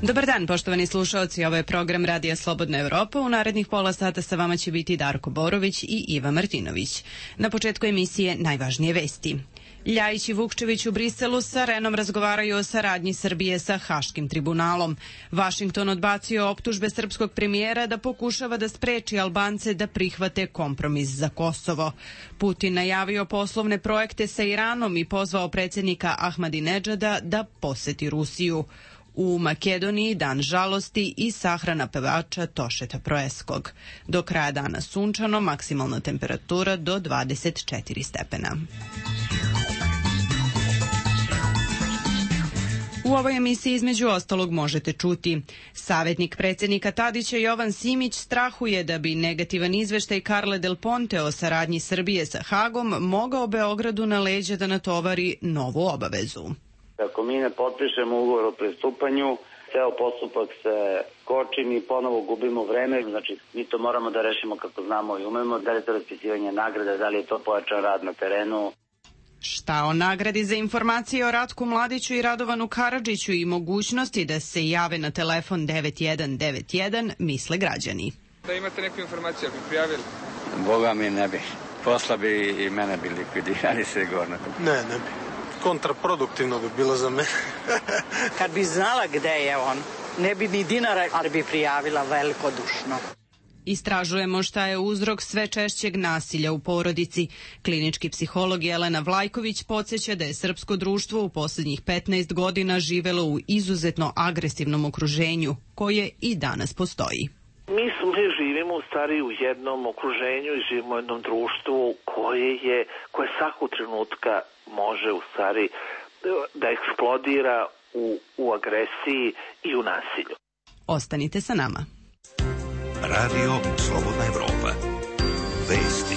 Dobar dan, poštovani slušaoci, ovo je program Radija Slobodna Evropa. U narednih pola sata sa vama će biti Darko Borović i Iva Martinović. Na početku emisije najvažnije vesti. Ljajić i Vukčević u Briselu sa Renom razgovaraju o saradnji Srbije sa Haškim tribunalom. Vašington odbacio optužbe srpskog premijera da pokušava da spreči Albance da prihvate kompromis za Kosovo. Putin najavio poslovne projekte sa Iranom i pozvao predsjednika Ahmadinedžada da poseti Rusiju. U Makedoniji dan žalosti i sahrana pevača Tošeta Proeskog. Do kraja dana sunčano, maksimalna temperatura do 24 stepena. U ovoj emisiji između ostalog možete čuti: savjetnik predsjednika Tadića Jovan Simić strahuje da bi negativan izveštaj Carle Del Ponte o saradnji Srbije sa Hagom mogao Beogradu na leđa da natovari novu obavezu. Ako mi ne potpišemo ugovor o pristupanju, ceo postupak se koči, mi ponovo gubimo vreme, znači mi to moramo da rešimo kako znamo i umemo, da li je to raspisivanje nagrade, da li je to pojačan rad na terenu. Šta o nagradi za informacije o Ratku Mladiću i Radovanu Karadžiću i mogućnosti da se jave na telefon 9191 misle građani. Da imate neku informaciju, bi prijavili? Boga mi ne bi. Posla bi i mene bi likvidirali sigurno. Ne bi. Kontraproduktivno bi bilo za mene. Kad bi znala gde je on, ne bi ni dinara, ali bi prijavila velikodušno. Istražujemo šta je uzrok sve češćeg nasilja u porodici. Klinički psiholog Jelena Vlajković podsjeća da je srpsko društvo u posljednjih 15 godina živelo u izuzetno agresivnom okruženju, koje i danas postoji. Mi živimo u stvari u jednom okruženju i živimo u jednom društvu koje svakog trenutka može u stvari da eksplodira u agresiji i u nasilju. Ostanite sa nama. Radio Slobodna Evropa. Vesti.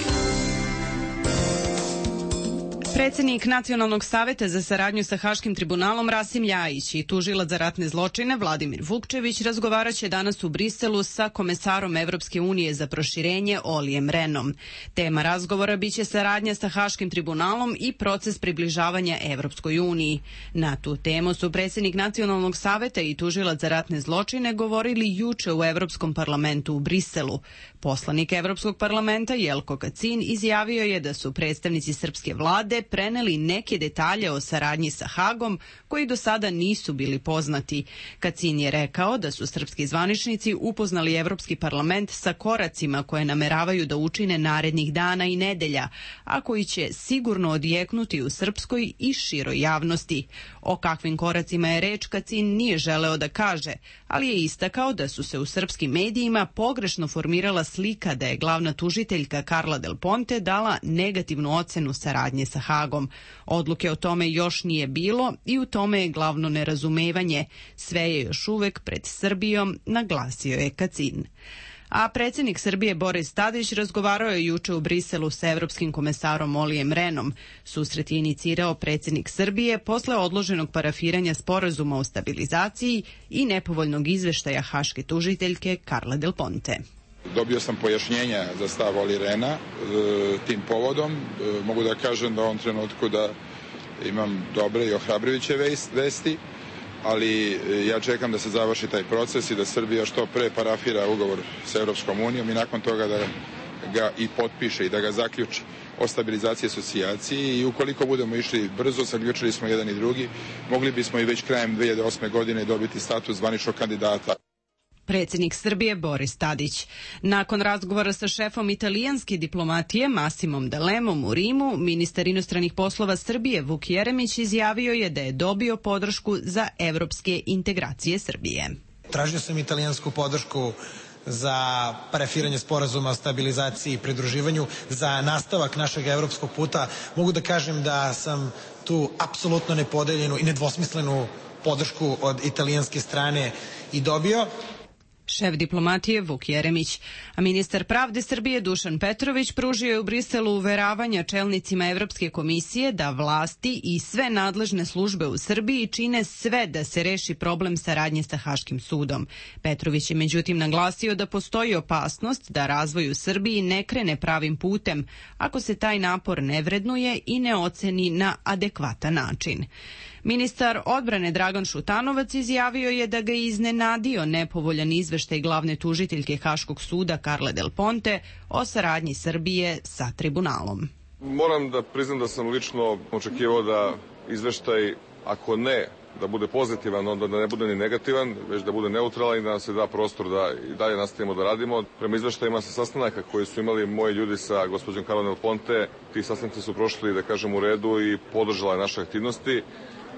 Predsjednik Nacionalnog saveta za saradnju sa Haškim tribunalom Rasim Ljajić i tužilac za ratne zločine Vladimir Vukčević razgovaraće danas u Briselu sa komesarom Evropske unije za proširenje Olijem Renom. Tema razgovora biće saradnja sa Haškim tribunalom i proces približavanja Evropskoj uniji. Na tu temu su predsjednik Nacionalnog saveta i tužilac za ratne zločine govorili juče u Evropskom parlamentu u Briselu. Poslanik Evropskog parlamenta Jelko Kacin izjavio je da su predstavnici srpske vlade preneli neke detalje o saradnji sa Hagom koji do sada nisu bili poznati. Kacin je rekao da su srpski zvaničnici upoznali Evropski parlament sa koracima koje nameravaju da učine narednih dana i nedelja, a koji će sigurno odjeknuti u srpskoj i široj javnosti. O kakvim koracima je reč Kacin nije želeo da kaže, ali je istakao da su se u srpskim medijima pogrešno formirala slika da je glavna tužiteljka Carla Del Ponte dala negativnu ocenu saradnje sa Hagom. Odluke o tome još nije bilo i u tome je glavno nerazumevanje. Sve je još uvek pred Srbijom, naglasio je Kacin. A predsjednik Srbije Boris Tadić razgovarao je juče u Briselu sa evropskim komesarom Olijem Renom. Susret je inicirao predsjednik Srbije posle odloženog parafiranja sporazuma o stabilizaciji i nepovoljnog izveštaja haške tužiteljke Carle Del Ponte. Dobio sam pojašnjenja za stav Oli Rena tim povodom. Mogu da kažem da u ovom trenutku da imam dobre i ohrabrujuće vesti, ali ja čekam da se završi taj proces i da Srbija što pre parafira ugovor sa Europskom unijom i nakon toga da ga i potpiše i da ga zaključi o stabilizaciji i asocijaciji i ukoliko budemo išli brzo, zaključili smo jedan i drugi, mogli bismo i već krajem 2008. godine dobiti status zvaničnog kandidata. Predsjednik Srbije Boris Tadić. Nakon razgovora sa šefom italijanske diplomatije Massimom Dalemom u Rimu, ministar inostranih poslova Srbije Vuk Jeremić izjavio je da je dobio podršku za evropske integracije Srbije. Tražio sam italijansku podršku za parafiranje sporazuma o stabilizaciji i pridruživanju, za nastavak našeg evropskog puta. Mogu da kažem da sam tu apsolutno nepodeljenu i nedvosmislenu podršku od italijanske strane i dobio. šef diplomatije Vuk Jeremić. A ministar pravde Srbije Dušan Petrović pružio je u Briselu uveravanja čelnicima Evropske komisije da vlasti i sve nadležne službe u Srbiji čine sve da se reši problem saradnje sa Haškim sudom. Petrović je međutim naglasio da postoji opasnost da razvoj u Srbiji ne krene pravim putem ako se taj napor ne vrednuje i ne oceni na adekvatan način. Ministar odbrane Dragan Šutanovac izjavio je da ga je iznenadio nepovoljan izveštaj glavne tužiteljke Haškog suda Carle Del Ponte o saradnji Srbije sa tribunalom. Moram da priznam da sam lično očekivao da izveštaj, ako ne da bude pozitivan, onda da ne bude ni negativan, već da bude neutralan i da nam se da prostor da i dalje nastavimo da radimo. Prema izveštajima sa sastanaka koji su imali moji ljudi sa gospođom Carle Del Ponte, ti sastanci su prošli, da kažem, u redu i podržala je naše aktivnosti.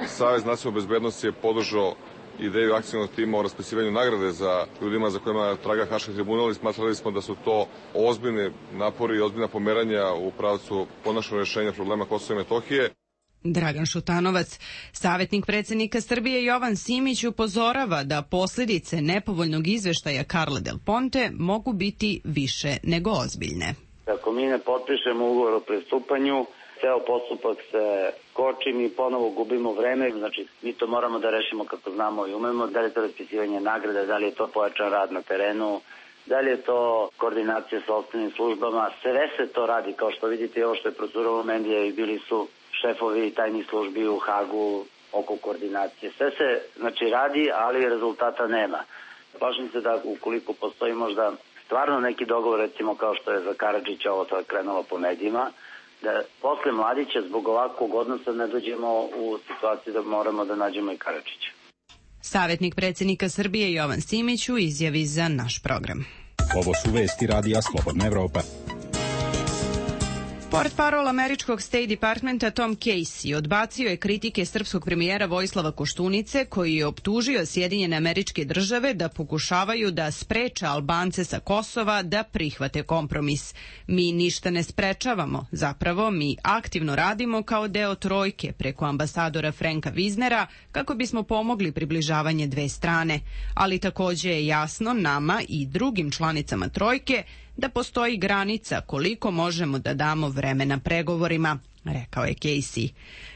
Savez nacionalne bezbednosti je podržao ideju akcionog tima o raspisivanju nagrade za ljudima za kojima traga Haški tribunal i smatrali smo da su to ozbiljni napori i ozbiljna pomeranja u pravcu konačnog rešenja problema Kosova i Metohije. Dragan Šutanovac, savjetnik predsjednika Srbije Jovan Simić, upozorava da posljedice nepovoljnog izveštaja Carle Del Ponte mogu biti više nego ozbiljne. Ako mi ne potpišemo ugovor o pristupanju, ceo postupak se koči, mi ponovo gubimo vreme, znači mi to moramo da rešimo kako znamo i umemo, da li je to raspisivanje nagrade, da li je to pojačan rad na terenu, da li je to koordinacija sa ostalim službama, sve se to radi, kao što vidite ovo što je procuralo medija i bili su šefovi tajnih službi u Hagu oko koordinacije. Sve se znači radi, ali rezultata nema. Plašim se da ukoliko postoji možda stvarno neki dogovor, recimo kao što je za Karadžića ovo sad krenulo po medijima, da posle Mladića zbog ovakvog odnosa ne dođemo u situaciju da moramo da nađemo i Karadžića. Savjetnik predsjednika Srbije Jovan Simić u izjavi za naš program. Ovo su vesti radija Slobodna Evropa. Portparol američkog State Departmenta Tom Casey odbacio je kritike srpskog premijera Vojislava Koštunice, koji je optužio Sjedinjene Američke Države da pokušavaju da spreče Albance sa Kosova da prihvate kompromis. Mi ništa ne sprečavamo, zapravo mi aktivno radimo kao deo trojke preko ambasadora Franka Viznera kako bismo pomogli približavanje dve strane, ali takođe je jasno nama i drugim članicama trojke da postoji granica koliko možemo da damo vremena pregovorima, rekao je Casey.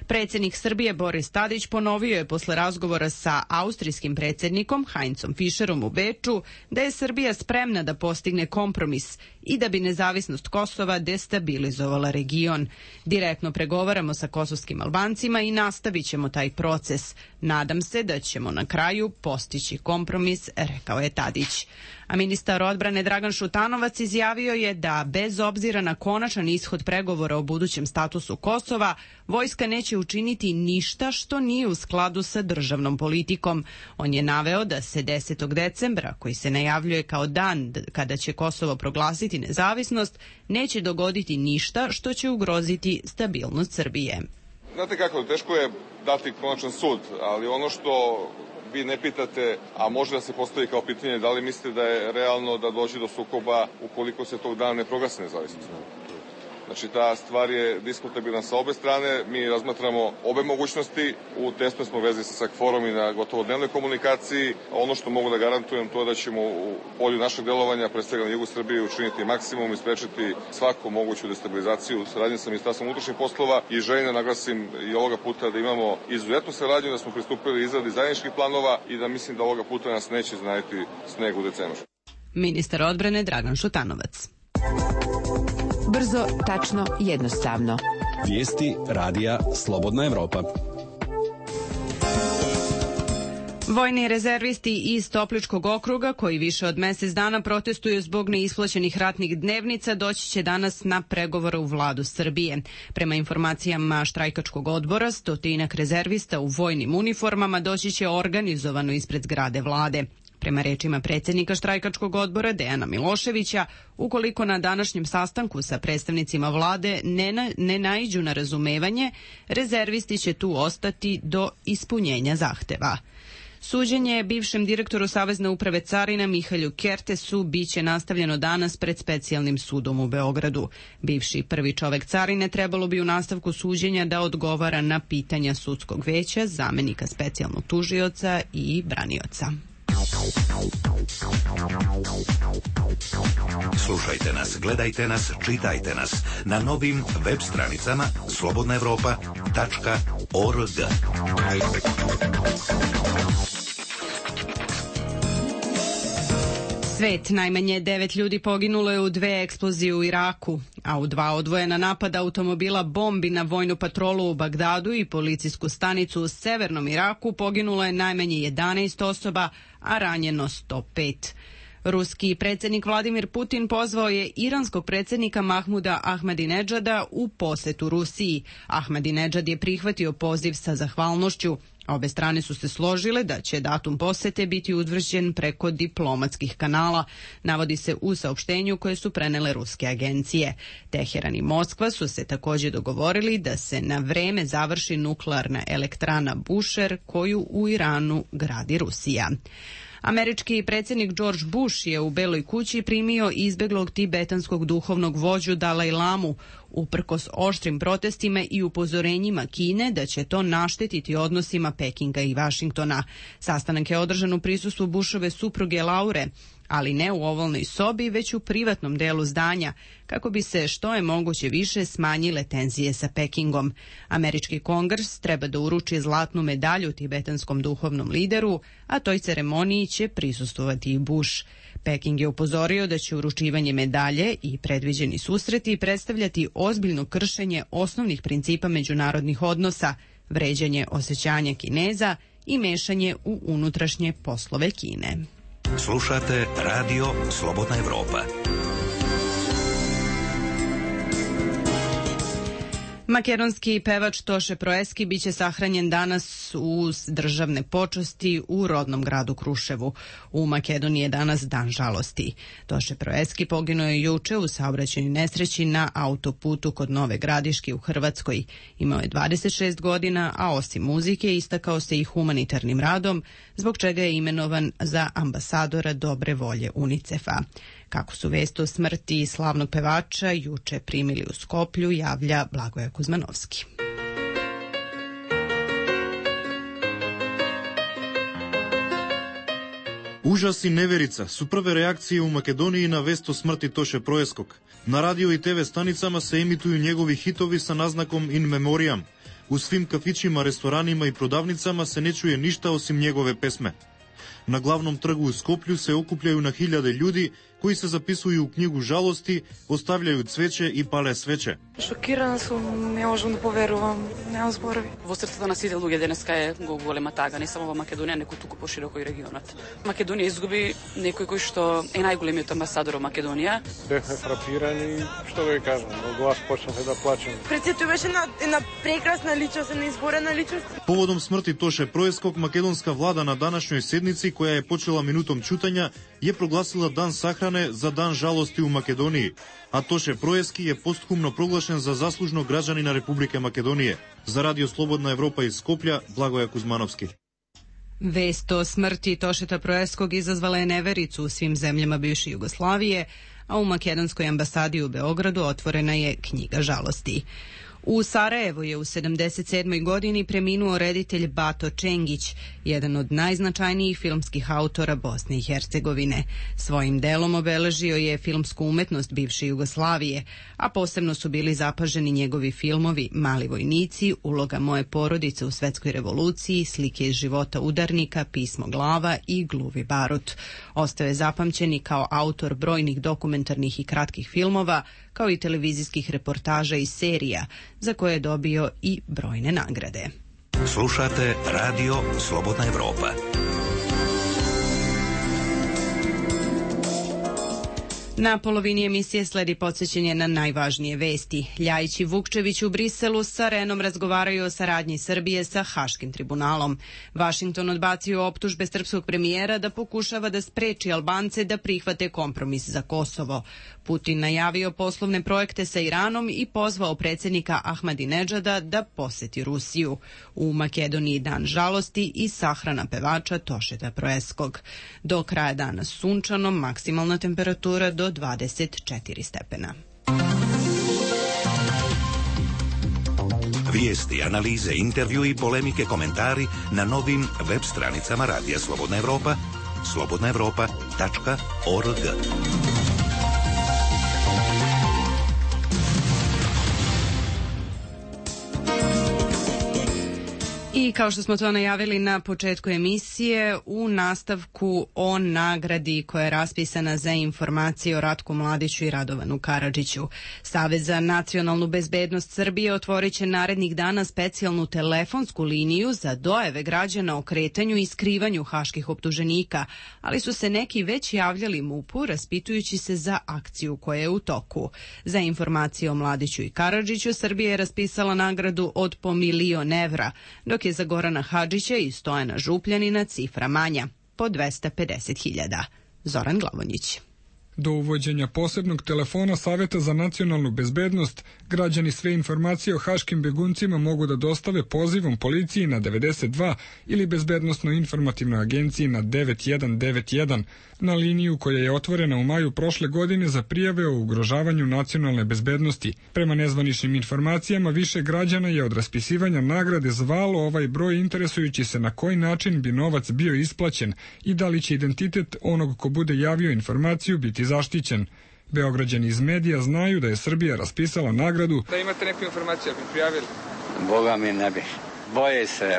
Predsjednik Srbije Boris Tadić ponovio je posle razgovora sa austrijskim predsjednikom Heinzom Fischerom u Beču da je Srbija spremna da postigne kompromis i da bi nezavisnost Kosova destabilizovala region. Direktno pregovaramo sa kosovskim Albancima i nastavit ćemo taj proces. Nadam se da ćemo na kraju postići kompromis, rekao je Tadić. A ministar odbrane Dragan Šutanovac izjavio je da bez obzira na konačan ishod pregovora o budućem statusu Kosova, vojska neće učiniti ništa što nije u skladu sa državnom politikom. On je naveo da se 10. decembra, koji se najavljuje kao dan kada će Kosovo proglasiti nezavisnost, neće dogoditi ništa što će ugroziti stabilnost Srbije. Znate kako, teško je dati konačan sud, ali ono što vi ne pitate, a može da se postavi kao pitanje, da li mislite da je realno da dođe do sukoba ukoliko se tog dana ne proglasi nezavisnost? Znači, ta stvar je diskutabilna sa obe strane, mi razmatramo obe mogućnosti, u tesnoj smo vezi sa SACFOR-om i na gotovo dnevnoj komunikaciji. Ono što mogu da garantujem to je da ćemo u polju našeg delovanja, pre svega na jugu Srbije, učiniti maksimum i sprečiti svaku moguću destabilizaciju. Saradnje sa Ministarstvom unutrašnjih poslova i želim da naglasim i ovoga puta da imamo izuzetnu saradnju, da smo pristupili izradi zajedničkih planova i da mislim da ovoga puta nas neće iznenaditi sneg u decembru. Ministar odbrane Dragan Šutanovac. Brzo, tačno, jednostavno. Vijesti radija Slobodna Evropa. Vojni rezervisti iz Topličkog okruga, koji više od mjesec dana protestuju zbog neisplaćenih ratnih dnevnica, doći će danas na pregovore u vladu Srbije. Prema informacijama štrajkačkog odbora, 100 rezervista u vojnim uniformama doći će organizovano ispred zgrade vlade. Prema rečima predsjednika štrajkačkog odbora Dejana Miloševića, ukoliko na današnjem sastanku sa predstavnicima vlade ne naiđu na razumevanje, rezervisti će tu ostati do ispunjenja zahteva. Suđenje bivšem direktoru Savezne uprave carina Mihalju Kertesu biće nastavljeno danas pred specijalnim sudom u Beogradu. Bivši prvi čovek carine trebalo bi u nastavku suđenja da odgovara na pitanja sudskog veća, zamenika specijalnog tužioca i branioca. Slušajte nas, gledajte nas, čitajte nas na novim web stranicama slobodnaevropa.org. Svet, najmanje 9 ljudi poginulo je u 2 eksplozije u Iraku, a u 2 odvojena napada automobila bombi na vojnu patrolu u Bagdadu i policijsku stanicu u severnom Iraku poginulo je najmanje 11 osoba, a ranjeno 105. Ruski predsjednik Vladimir Putin pozvao je iranskog predsjednika Mahmuda Ahmadinedžada u posetu Rusiji. Ahmadinedžad je prihvatio poziv sa zahvalnošću. Obe strane su se složile da će datum posete biti utvrđen preko diplomatskih kanala, navodi se u saopštenju koje su prenele ruske agencije. Teheran i Moskva su se također dogovorili da se na vreme završi nuklearna elektrana Bushehr koju u Iranu gradi Rusija. Američki predsjednik George Bush je u Beloj kući primio izbeglog tibetanskog duhovnog vođu Dalaj Lamu, uprkos oštrim protestima i upozorenjima Kine da će to naštetiti odnosima Pekinga i Vašingtona. Sastanak je održan u prisustvu Bushove supruge Laure, ali ne u ovalnoj sobi, već u privatnom delu zdanja, kako bi se što je moguće više smanjile tenzije sa Pekingom. Američki kongres treba da uruči zlatnu medalju tibetanskom duhovnom lideru, a toj ceremoniji će prisustvovati i Bush. Peking je upozorio da će uručivanje medalje i predviđeni susreti predstavljati ozbiljno kršenje osnovnih principa međunarodnih odnosa, vređanje osjećanja Kineza i mešanje u unutrašnje poslove Kine. Slušate Radio Slobodna Evropa. Makedonski pevač Toše Proeski biće sahranjen danas uz državne počasti u rodnom gradu Kruševu. U Makedoniji je danas dan žalosti. Toše Proeski poginuo je juče u saobraćajnoj nesreći na autoputu kod Nove Gradiške u Hrvatskoj. Imao je 26 godina, a osim muzike istakao se i humanitarnim radom, zbog čega je imenovan za ambasadora dobre volje UNICEF-a. Kako su vest o smrti slavnog pevača juče primili u Skoplju, javlja Blagoje Kuzmanovski. Užas i neverica su prve reakcije u Makedoniji na vest o smrti Toše Proeskog. Na radio i TV stanicama se emituju njegovi hitovi sa naznakom in memoriam. U svim kafićima, restoranima i prodavnicama se ne čuje ništa osim njegove pesme. Na glavnom trgu u Skoplju se okupljaju na hiljade ljudi koji se zapisuju u knjigu žalosti, ostavljaju cveće i pale sveće. Шокирана сум, не можам да поверувам, немам зборови. Во срцето на сите луѓе денеска е голема тага, не само во Македонија, неку туку пошироко и регионот. Македонија изгуби некој кој што е најголемиот амбасадор во Македонија. Бевме фрапирани, што да ви кажам, во глас почнахме да плачеме. Прецето беше една прекрасна личност, една изборена личност. Поводом смрти Тоше Проеског, македонска влада на данашњој седници, која е почела минутом чутања, ја прогласила дан сахране за дан жалости у Македонiji, a Toše Proeski je postхумно proglašen za zaslužnog građanina Republike Makedonije. Za Radio Slobodna Evropa iz Skoplja, Blagoje Kuzmanovski. Vest o smrti Tošeta Proeskog izazvala je nevericu u svim zemljama bivše Jugoslavije, a u makedonskoj ambasadi u Beogradu otvorena je knjiga žalosti. U Sarajevu je u 77. godini preminuo reditelj Bato Čengić, jedan od najznačajnijih filmskih autora Bosne i Hercegovine. Svojim delom obeležio je filmsku umetnost bivše Jugoslavije, a posebno su bili zapaženi njegovi filmovi Mali vojnici, Uloga moje porodice u svetskoj revoluciji, Slike iz života udarnika, Pismo glava i Gluvi barut. Ostao je zapamćeni kao autor brojnih dokumentarnih i kratkih filmova, kao i televizijskih reportaža i serija, za koje je dobio i brojne nagrade. Slušate Radio Slobodna Evropa. Na polovini emisije sledi podsjećanje na najvažnije vesti. Ljajić i Vukčević u Briselu sa Renom razgovaraju o saradnji Srbije sa Haškim tribunalom. Vašington odbacio optužbe srpskog premijera da pokušava da spreči Albance da prihvate kompromis za Kosovo. Putin najavio poslovne projekte sa Iranom i pozvao predsjednika Ahmadinedžada da poseti Rusiju. U Makedoniji dan žalosti i sahrana pevača Tošeta Proeskog. Do kraja dana sunčano, maksimalna temperatura do 24 stepena. Vijesti, analize, intervju i polemike, komentari na novim web stranicama Radija Slobodna Evropa, slobodnaevropa.org. I kao što smo to najavili na početku emisije, u nastavku o nagradi koja je raspisana za informacije o Ratku Mladiću i Radovanu Karadžiću. Savez za nacionalnu bezbednost Srbije otvorit će narednih dana specijalnu telefonsku liniju za dojave građana o kretanju i skrivanju haških optuženika, ali su se neki već javljali MUP-u raspitujući se za akciju koja je u toku. Za informacije o Mladiću i Karadžiću Srbija je raspisala nagradu od po 1.000.000 evra, dok je za Gorana Hadžića i Stojana Župljanina cifra manja, po 250.000. Zoran Glavonjić. Do uvođenja posebnog telefona Saveta za nacionalnu bezbednost, građani sve informacije o haškim beguncima mogu da dostave pozivom policiji na 92 ili bezbednosno-informativnoj agenciji na 9191, na liniju koja je otvorena u maju prošle godine za prijave o ugrožavanju nacionalne bezbednosti. Prema nezvaničnim informacijama, više građana je od raspisivanja nagrade zvalo ovaj broj interesujući se na koji način bi novac bio isplaćen i da li će identitet onog ko bude javio informaciju biti zaštićen. Beograđani iz medija znaju da je Srbija raspisala nagradu. Da imate neku informaciju, bi prijavili? Boga mi ne bi. Boje se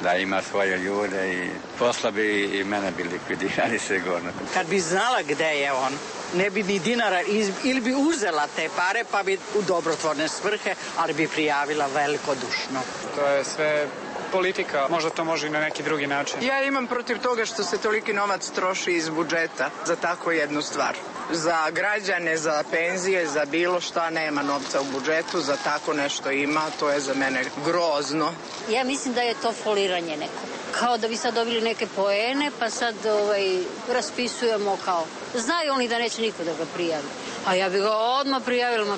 da ima svoje ljude i posla bi i mene bi likvidirali sigurno. Kad bi znala gde je on, ne bi ni dinara ili bi uzela te pare pa bi u dobrotvorne svrhe, ali bi prijavila velikodušno. To je sve politika, možda to može i na neki drugi način. Ja imam protiv toga što se toliki novac troši iz budžeta za tako jednu stvar. Za građane, za penzije, za bilo šta nema novca u budžetu, za tako nešto ima, to je za mene grozno. Ja mislim da je to foliranje neko. Kao da bi sad dobili neke poene, pa sad raspisujemo kao. Znaju oni da neće niko da ga prijavi. A ja bi ga odmah prijavila,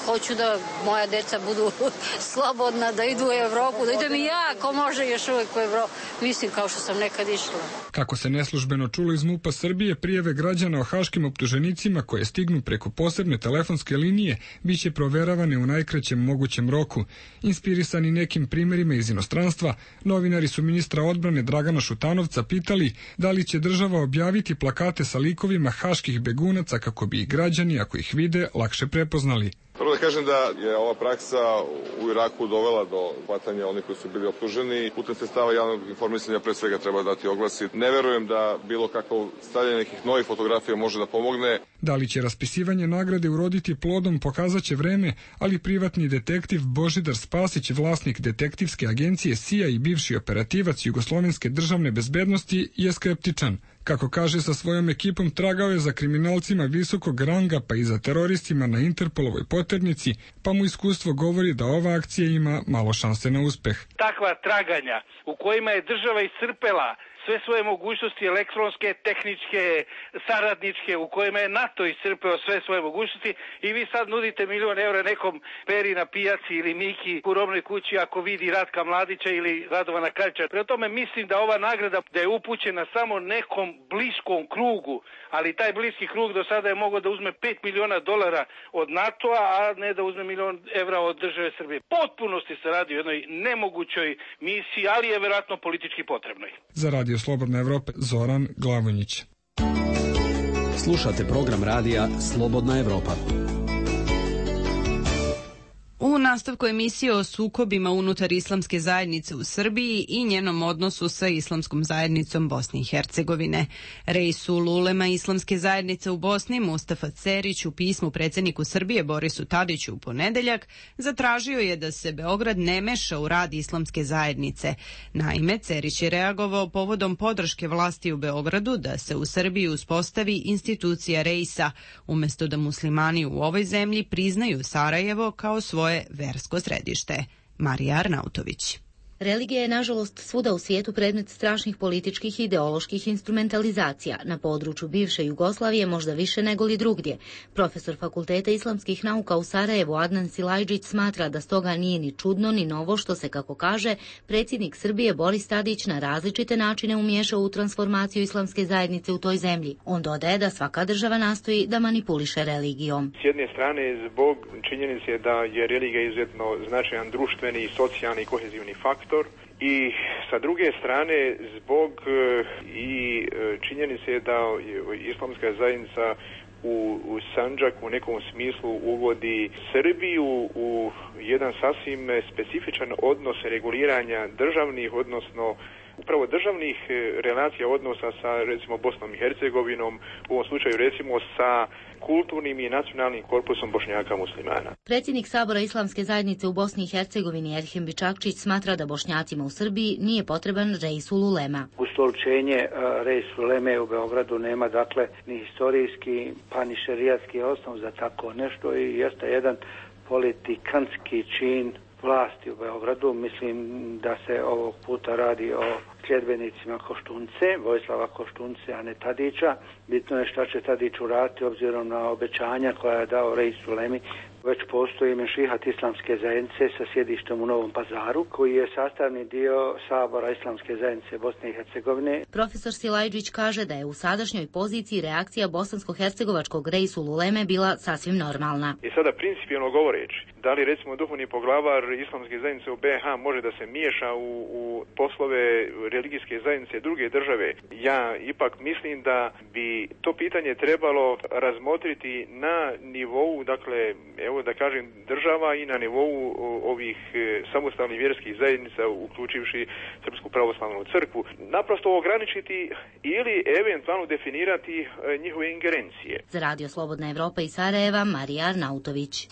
hoću da moja deca budu slobodna, da idu u Evropu, da idem i ja, ko može još uvek u Evropu. Mislim kao što sam nekad išla. Kako se neslužbeno čulo iz MUP-a Srbije, prijave građana o haškim optuženicima koje stignu preko posebne telefonske linije biće proveravane u najkraćem mogućem roku. Inspirisani nekim primerima iz inostranstva, novinari su ministra odbrane Dragana Šutanovca pitali da li će država objaviti plakate sa likovima haških begunaca kako bi ih građani, ako ih vide, lakše prepoznali. Prvo da kažem da je ova praksa u Iraku dovela do hvatanja onih koji su bili optuženi. Putem sredstava javnog informisanja pre svega treba dati oglasi. Ne verujem da bilo kakvo stavljanje nekih novih fotografija može da pomogne. Da li će raspisivanje nagrade uroditi plodom pokazaće vreme, ali privatni detektiv Božidar Spasić, vlasnik detektivske agencije CIA i bivši operativac Jugoslovenske državne bezbednosti, je skeptičan. Kako kaže, sa svojom ekipom tragao je za kriminalcima visokog ranga pa i za teroristima na Interpolovoj poternici, pa mu iskustvo govori da ova akcija ima malo šanse na uspeh. Takva traganja u kojima je država iscrpela sve svoje mogućnosti elektronske, tehničke, saradničke, u kojima je NATO iscrpeo sve svoje mogućnosti i vi sad nudite 1.000.000 evra nekom Peri na pijaci ili Miki u robnoj kući ako vidi Ratka Mladića ili Radovana Karadžića. Prema tome mislim da ova nagrada da je upućena samo nekom bliskom krugu, ali taj bliski krug do sada je mogao da uzme $5 miliona od NATO-a, a ne da uzme 1.000.000 evra od države Srbije. Potpunosti se radi o jednoj nemogućoj misiji, ali je verovatno politički potrebnoj. Za Radio Slobodna Evropa, Zoran Glavonjić. Slušate program radija Slobodna Evropa. U nastavku emisije o sukobima unutar islamske zajednice u Srbiji i njenom odnosu sa islamskom zajednicom Bosne i Hercegovine. Reisul ulema islamske zajednice u Bosni, Mustafa Cerić, u pismu predsjedniku Srbije Borisu Tadiću u ponedeljak zatražio je da se Beograd ne meša u rad islamske zajednice. Naime, Cerić je reagovao povodom podrške vlasti u Beogradu da se u Srbiji uspostavi institucija Reisa, umjesto da muslimani u ovoj zemlji priznaju Sarajevo kao svoje versko središte. Marija Arnautović. Religija je, nažalost, svuda u svijetu predmet strašnih političkih i ideoloških instrumentalizacija. Na području bivše Jugoslavije možda više nego li drugdje. Profesor Fakulteta islamskih nauka u Sarajevu Adnan Silajđić smatra da stoga nije ni čudno ni novo što se, kako kaže, predsjednik Srbije Boris Tadić na različite načine umiješao u transformaciju islamske zajednice u toj zemlji. On dodaje da svaka država nastoji da manipuliše religijom. S jedne strane, zbog činjenice da je religija izuzetno značajan društveni, socijalni i kohezivni faktor, i sa druge strane zbog i činjenice da islamska zajednica u Sandžak u nekom smislu uvodi Srbiju u jedan sasvim specifičan odnos reguliranja državnih, odnosno upravo državnih relacija odnosa sa recimo Bosnom i Hercegovinom, u ovom slučaju recimo sa kulturnim i nacionalnim korpusom Bošnjaka muslimana. Predsjednik Sabora Islamske zajednice u Bosni i Hercegovini Erhem Bičakčić smatra da Bošnjacima u Srbiji nije potreban Reisul Ulema. Ustoličenje Reisul Uleme u Beogradu nema dakle ni historijski pa ni šerijatski osnov za tako nešto i jeste jedan politikantski čin vlasti u Beogradu. Mislim da se ovog puta radi o sljedbenicima Koštunce, Vojislava Koštunce, a ne Tadića. Bitno je šta će Tadić uraditi obzirom na obećanja koja je dao Reisul Ulemi. Već postoji Mešihat Islamske zajednice sa sjedištem u Novom Pazaru, koji je sastavni dio Sabora Islamske zajednice Bosne i Hercegovine. Profesor Silajdžić kaže da je u sadašnjoj poziciji reakcija bosansko-hercegovačkog Reisul Uleme bila sasvim normalna. I sada principijelno govoreći, da li recimo duhovni poglavar Islamske zajednice u BiH može da se miješa u poslove religijske zajednice druge države? Ja ipak mislim da bi to pitanje trebalo razmotriti na nivou, dakle, evo da kažem, država i na nivou ovih samostalnih vjerskih zajednica, uključivši Srpsku pravoslavnu crkvu, naprosto ograničiti ili eventualno definirati njihove ingerencije. Za Radio Slobodna Evropa iz Sarajeva, Marija Arnautović.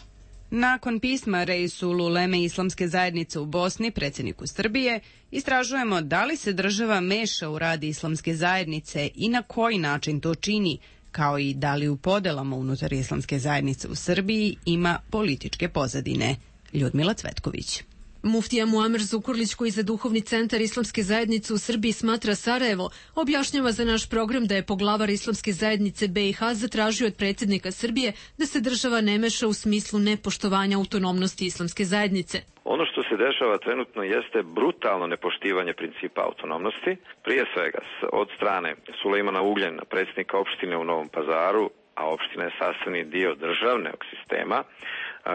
Nakon pisma Reisul Uleme Islamske zajednice u Bosni, predsjedniku Srbije, istražujemo da li se država meša u rad Islamske zajednice i na koji način to čini, kao i da li u podelama unutar Islamske zajednice u Srbiji ima političke pozadine. Ljudmila Cvetković. Muftija Muamer Zukorlić, koji za duhovni centar Islamske zajednice u Srbiji smatra Sarajevo, objašnjava za naš program da je poglavar Islamske zajednice BiH zatražio od predsjednika Srbije da se država ne meša u smislu nepoštovanja autonomnosti Islamske zajednice. Ono što se dešava trenutno jeste brutalno nepoštivanje principa autonomnosti, prije svega od strane Sulejmana Ugljana, predsjednika opštine u Novom Pazaru, a opština je sastavni dio državnog sistema.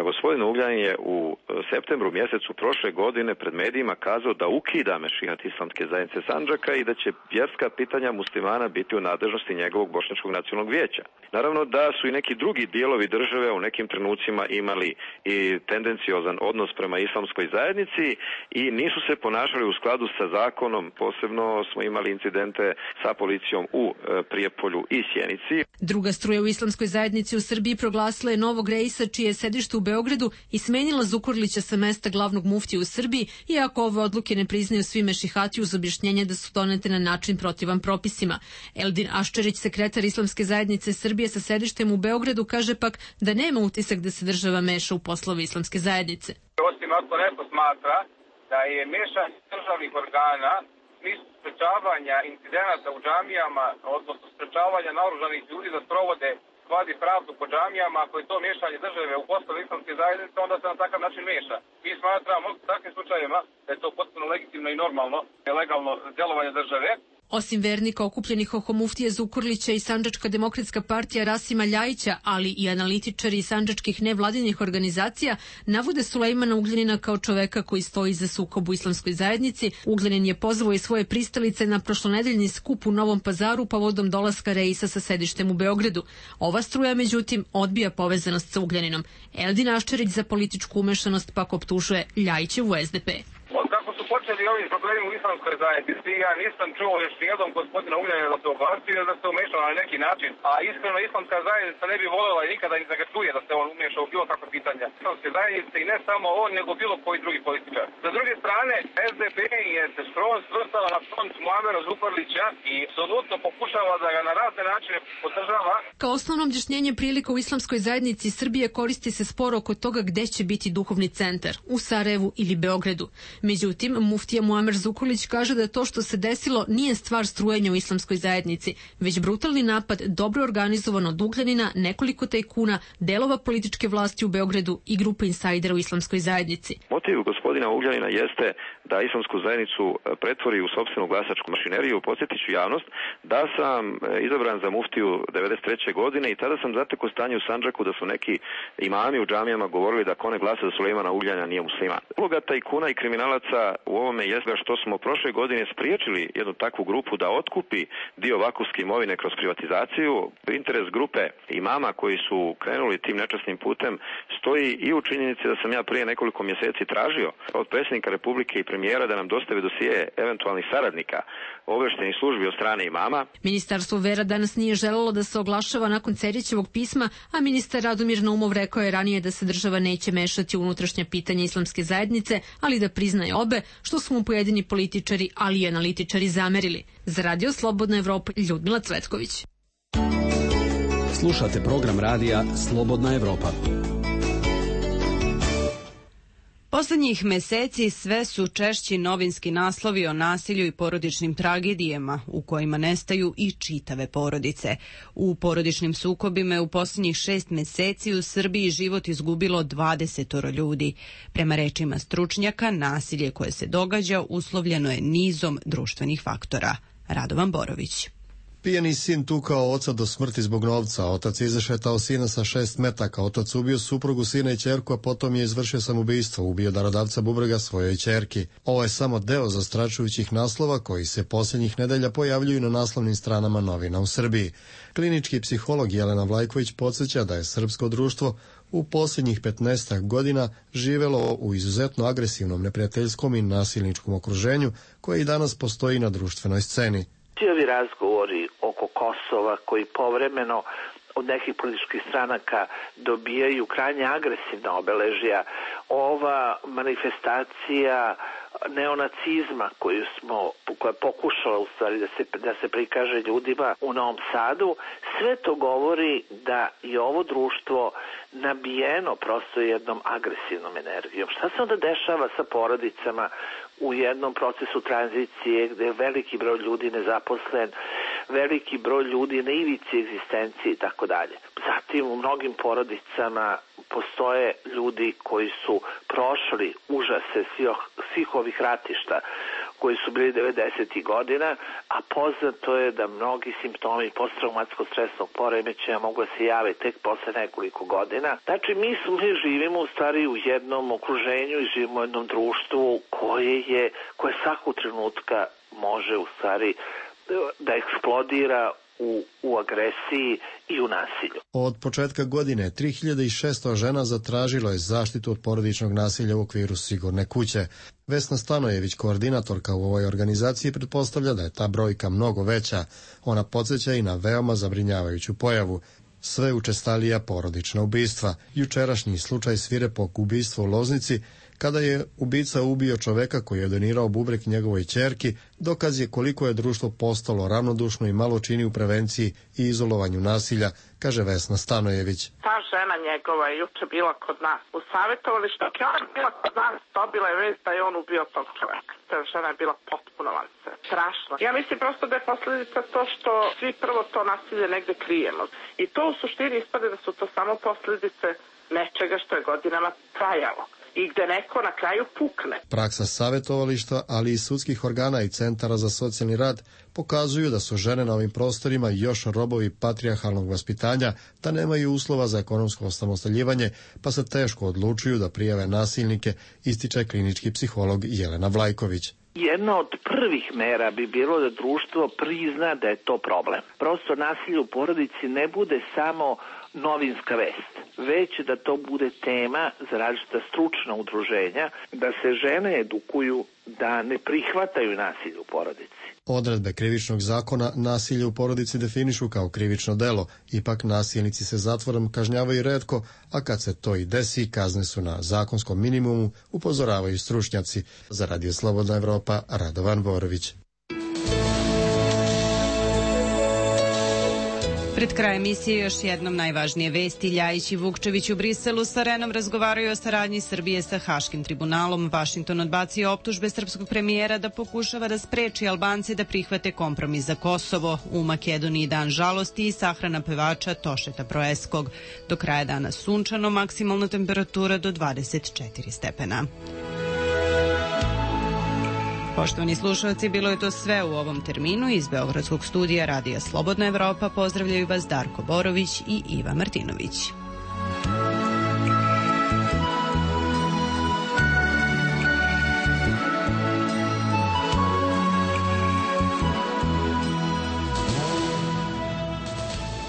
Gospodin Ugljanin je u septembru mjesecu prošle godine pred medijima kazao da ukida Mešihat Islamske zajednice Sandžaka i da će vjerska pitanja muslimana biti u nadležnosti njegovog Bošnjačkog nacionalnog vijeća. Naravno da su i neki drugi dijelovi države u nekim trenucima imali i tendenciozan odnos prema islamskoj zajednici i nisu se ponašali u skladu sa zakonom. Posebno smo imali incidente sa policijom u Prijepolju i Sjenici. Druga struja u Islamskoj zajednici u Srbiji proglasila je novog reisa čije je sedište u Beogradu i smenila Zukorlića sa mesta glavnog muftije u Srbiji, iako ove odluke ne priznaju svi mešihati uz objašnjenje da su donete na način protivan propisima. Eldin Aščerić, sekretar Islamske zajednice Srbije sa sedištem u Beogradu, kaže pak da nema utisak da se država meša u poslove Islamske zajednice. Osim ako neko smatra da je mešanje državnih organa u smislu sprečavanja incidenata u džamijama, odnosno sprečavanja naoružanih ljudi da sprovode vadi pravdu po džamijama, ako je to miješanje države u poslove Islamske zajednice, onda se na takav način miješa. Mi smatramo u takvim slučajevima da je to potpuno legitimno i normalno, legalno djelovanje države. Osim vernika okupljenih oko muftije Zukorlića i Sandžačka demokratska partija Rasima Ljajića, ali i analitičari sandžačkih nevladinih organizacija, navode Sulejmana Ugljanina kao čoveka koji stoji za sukob u Islamskoj zajednici. Ugljanin je pozvao i svoje pristalice na prošlonedeljni skup u Novom Pazaru povodom dolaska reisa sa sedištem u Beogradu. Ova struja, međutim, odbija povezanost sa Ugljaninom. Eldin Aščerić za političku umešanost pak optužuje Ljajićevu SDP. Počeli ovi problemi u Islamskoj zajednici, ja nisam čuo još nijednom gospodina Ugljanina da se oglasio da se umešao na neki način, a iskreno Islamska zajednica ne bi voljela i nikada ni da ga čuje da se on umešao u bilo kakve pitanja Islamske zajednice i ne samo on, nego bilo koji drugi političar. Sa druge strane, SDP je se skroz svrstala na front Muamera Zukorlića i apsolutno pokušava da ga na razne načine podržava. Kao osnovno objašnjenje prilika u Islamskoj zajednici Srbije koristi se spor oko toga gde će biti duhovni centar, u Sarajevu ili Beogradu. Međutim, muftija Muamer Zukorlić kaže da to što se desilo nije stvar strujanja u Islamskoj zajednici, već brutalni napad dobro organizovan od Ugljanina, nekoliko tajkuna, delova političke vlasti u Beogradu i grupa insajdera u Islamskoj zajednici. Motiv gospodina Ugljanina jeste da Islamsku zajednicu pretvori u sopstvenu glasačku mašineriju. Podsjetit ću javnost da sam izabran za muftiju 93. godine i tada sam zatekao stanje u Sandžaku da su neki imami u džamijama govorili da ko ne glasa za Sulejmana Ugljana nije musliman. Uloga tajkuna i kriminalaca u ovom ovome jeste što smo prošle godine spriječili jednu takvu grupu da otkupi dio vakufske imovine kroz privatizaciju. Interes grupe imama koji su krenuli tim nečasnim putem stoji i u činjenici da sam ja prije nekoliko mjeseci tražio od predsjednika Republike i premijera da nam dostave dosije eventualnih saradnika obavještajnih službi od strane imama. Ministarstvo vera danas nije želelo da se oglašava nakon Cerićevog pisma, a ministar Radomir Naumov rekao je ranije da se država neće mešati u unutrašnja pitanja islamske zajednice, ali da priznaje obe, što su mu pojedini političari, ali i analitičari zamerili. Za Radio Slobodna Evropa, Ljudmila Cvetković. Slušate program radija Slobodna Evropa. Poslednjih meseci sve su češći novinski naslovi o nasilju i porodičnim tragedijama u kojima nestaju i čitave porodice. U porodičnim sukobima je u poslednjih 6 meseci u Srbiji život izgubilo 20 ljudi. Prema rečima stručnjaka, nasilje koje se događa uslovljeno je nizom društvenih faktora. Radovan Borović. Pijani sin tukao oca do smrti zbog novca, otac izašetao sina sa 6 metaka, otac ubio suprugu, sina i ćerku, a potom je izvršio samoubistvo, ubio darodavca bubrega svojoj ćerki. Ovo je samo deo zastrašujućih naslova koji se posljednjih nedelja pojavljuju na naslovnim stranama novina u Srbiji. Klinički psiholog Jelena Vlajković podsjeća da je srpsko društvo u posljednjih 15 godina živelo u izuzetno agresivnom, neprijateljskom i nasilničkom okruženju koje i danas postoji na društvenoj sceni. Ti ovi razgovori oko Kosova koji povremeno od nekih političkih stranaka dobijaju krajnje agresivna obeležja, ova manifestacija neonacizma koja je pokušala u stvari da se prikaže ljudima u Novom Sadu, sve to govori da je ovo društvo nabijeno prosto jednom agresivnom energijom. Šta se onda dešava sa porodicama u jednom procesu tranzicije gde je veliki broj ljudi nezaposlen, veliki broj ljudi na ivici egzistencije i tako dalje. Zatim u mnogim porodicama postoje ljudi koji su prošli užase svih ovih ratišta koji su bili 90. godina, a poznato je da mnogi simptomi posttraumatskog stresnog poremećaja mogu da se jave tek posle nekoliko godina. Znači, mi živimo u stvari u jednom okruženju i živimo u jednom društvu koje svakog trenutka može u stvari da eksplodira u agresiji i u nasilju. Od početka godine 3600 žena zatražilo je zaštitu od porodičnog nasilja u okviru Sigurne kuće. Vesna Stanojević, koordinatorka u ovoj organizaciji, pretpostavlja da je ta brojka mnogo veća. Ona podsjeća i na veoma zabrinjavajuću pojavu. Sve učestalija porodična ubistva. Jučerašnji slučaj svirepog ubistva u Loznici, kada je ubica ubio čoveka koji je donirao bubreg njegovoj ćerki, dokaz je koliko je društvo postalo ravnodušno i malo čini u prevenciji i izolovanju nasilja, kaže Vesna Stanojević. Ta žena njegova je juče bila kod nas u savjetovalištu. Ona je bila kod nas, dobila je vest da je on ubio tog čoveka. Ta žena je bila potpuno strašno. Ja mislim prosto da je posljedica to što svi prvo to nasilje negde krijemo. I to u suštini ispade da su to samo posljedice nečega što je godinama trajalo i gde neko na kraju pukne. Praksa savjetovališta, ali i sudskih organa i centara za socijalni rad pokazuju da su žene na ovim prostorima još robovi patrijarhalnog vaspitanja, da nemaju uslova za ekonomsko osamostaljivanje, pa se teško odlučuju da prijave nasilnike, ističe klinički psiholog Jelena Vlajković. Jedna od prvih mera bi bilo da društvo prizna da je to problem. Prosto nasilje u porodici ne bude samo novinska vest, već da to bude tema za različita stručna udruženja, da se žene edukuju da ne prihvataju nasilje u porodici. Odredbe krivičnog zakona nasilje u porodici definišu kao krivično delo, ipak nasilnici se zatvorom kažnjavaju retko, a kad se to i desi, kazne su na zakonskom minimumu, upozoravaju stručnjaci. Za Radio Slobodna Evropa, Radovan Borović. Pred krajem emisije još jednom najvažnije vesti. Ljajić i Vukčević u Briselu sa Renom razgovaraju o saradnji Srbije sa Haškim tribunalom. Vašington odbacio optužbe srpskog premijera da pokušava da spreči Albance da prihvate kompromis za Kosovo. U Makedoniji dan žalosti i sahrana pevača Tošeta Proeskog. Do kraja dana sunčano, maksimalna temperatura do 24 stepena. Poštovani slušalci, bilo je to sve u ovom terminu. Iz Beogradskog studija Radija Slobodna Evropa pozdravljaju vas Darko Borović i Iva Martinović.